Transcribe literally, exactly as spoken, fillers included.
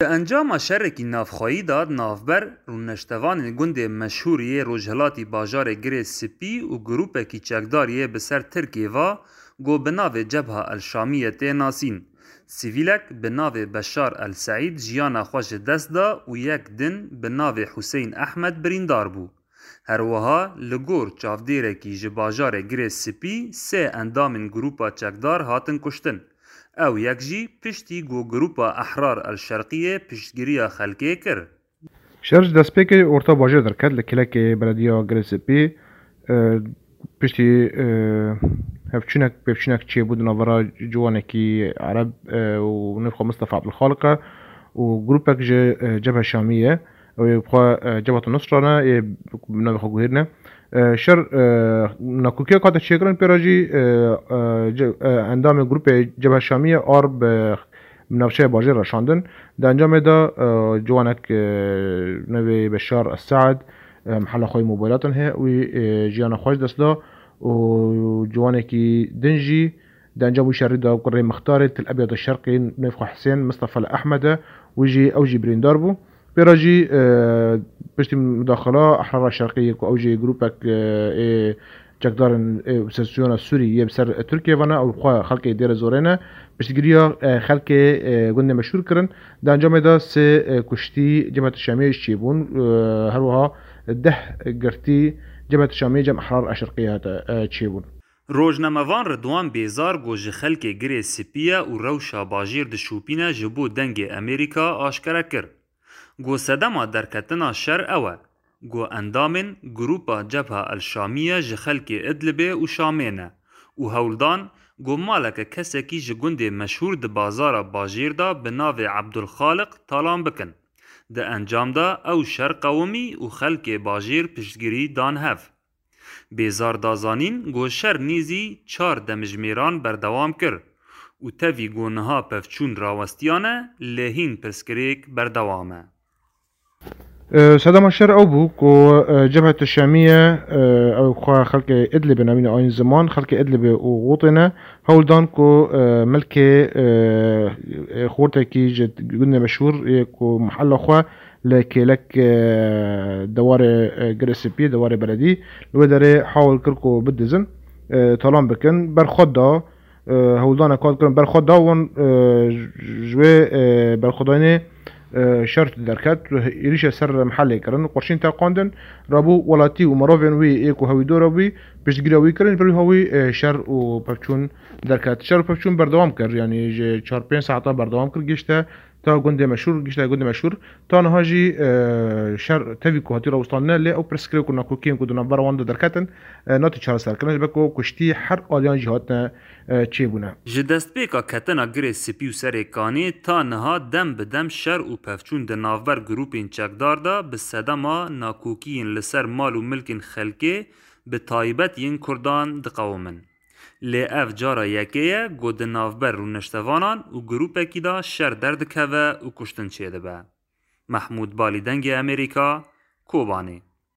Di encama şerekî navxweyî de navber rûneştevanên gundê meşhûr yê rojhilatî bajarê Girê Spî û grûpekî çekdar yê bi ser Tirkê ve ku bi navê Cebha El Şamiye tê nasîn. Sivîlek bi navê Beşar El Seîd jiyana xwe ji dest da û yek din bi navê Huseyîn Ehmed birîndar bû. Her wiha li gor çavdêrekî ji bajarê Girê Spî sê endamên grûpa çekdar hatin kuştin. Ew yek jî piştî ku grûpa Ehrar El Şerqiyê piştgiriya xelkê kir. Şer ji destpêkê orta bajêr derket li kêlekê belediya Girê Spî. E, piştî, e, hevçûnek, pêvçûnek çêbû di navbera ciwanekî Ereb, e, û nirxwe Mistefa Ebdulxaliq e û grûpek ji, e, Cebhe Şamî ye. Ew ê bi xwe, e, Cebheta Nusra ne, ê bi navê xwe guhêrine. E, şer, e, nakokiya kate çêkirin pê re jî, e, e, ce-, e, endamê grûpê Cebhe Şamî ye ar bi, bi navçeya bajêr re şandin. Di encamê de, e, ciwanek, e, navê Beşar Saad, e, mihela xwe yê mobaylatin heye, wî, e, jiyana xwe ji dest da û ciwanekî din jî di encam wî şerî de kurê mixtarê Til Ebyad Şerqî navê xwe Hisên Mistefa li Ehmed e, wî jî, ew jî birîndar bû. Pê re jî, e, piştî mudaxila Ehrara Şerqî yê ku ew jî grûpek, e, ê çekdarên, e, opozîsyona Sûrî yê bi ser Tirkiyê ve ne, ew xwe xelkê dêre zorê ne, piştgiriya, e, xelkê, e, gundê meşhûr kirin. Di encamê de sê, e, kuştî Cebhet Şamiyê jî çêbûn, e, her wiha deh girtî Cebhet Şamiyê cem Ehrar Eşirqiyê hate, e, çêbûn. Rojnamevan Ridwan Bêzar ku ji xelkê Girê Spî ye û rewşa bajêr dişopîne ji bo Dengê Amerîka aşkere kir. Ku sedema derketina şer ew e, ku endamên grûpa Cebha El Şamiye ji xelkê Idlibê û Şamê ne û hewldan ku maleke kesekî ji gundê meşhûr di bazara bajêr de bi navê Ebdulxaliq talan bikin. Di encam de ew şer qewimî û xelkê bajêr piştgirî dan hev. Bêzar da zanîn ku şer nêzî çar demjimêran berdewam kir û tevî ku niha pevçûn rawestiyane, lê hîn pirsgirêk berdewam e. E, sedema şer ew bû ku, e, Cebhet Şamiye, e, ew xwe xelkê Idlibê navîne, Ayn Ziman, xelkê Idlibê û Xûtê ne, hewl dan ku, e, milkê, e, e, xortekî ji gundê meşhûr yê ku mihela xwe li kêlek, e, dewarê, e, Girê Spî, dewarê beledî, li wê derê hewl kir ku bidizin, e, talan bikin. Berxwe da, e, hewldanek hat kirin, berxwe da wan, e, ji wê, e, berxwedayînê, e, şer derket, êrîşe ser mihelê kirin, qurşîn teqandin, rabû welatî û mirovên wî ê ku hewîdora wî piştgiriya wî kirin, ber wî hawî, e, şer û pevçûn derket. Şer û pevçûn berdewam kir, yanî ji çar pênc saeta berdewam kir, gihişte ta gundê meşhûr, gihişte gundê meşhûr. Ta niha jî, e, şer tevî ku hatî rawestandine, lê ew pirsgirêk û nakokiyên ku di navbera wan de derketin, e, nate çareserkirin, ji ber ku kuştî her aliyan jî hatine, e, çêbûne. Ji destpêka ketina Girê Spî û Serê Kanê ta niha dem bi dem şer û pevçûn di navber grûpên çekdar de bi sedema nakokiyên li ser mal û milkên xelkê, bi taybet yên Kurdan diqewimin. Lê ev cara yekê ye ku di navber rûniştevanan û grûpekî de şer derdikeve û kuştin çêdibe. Mehmûd Balî, Dengê Amerîka, Kobanê.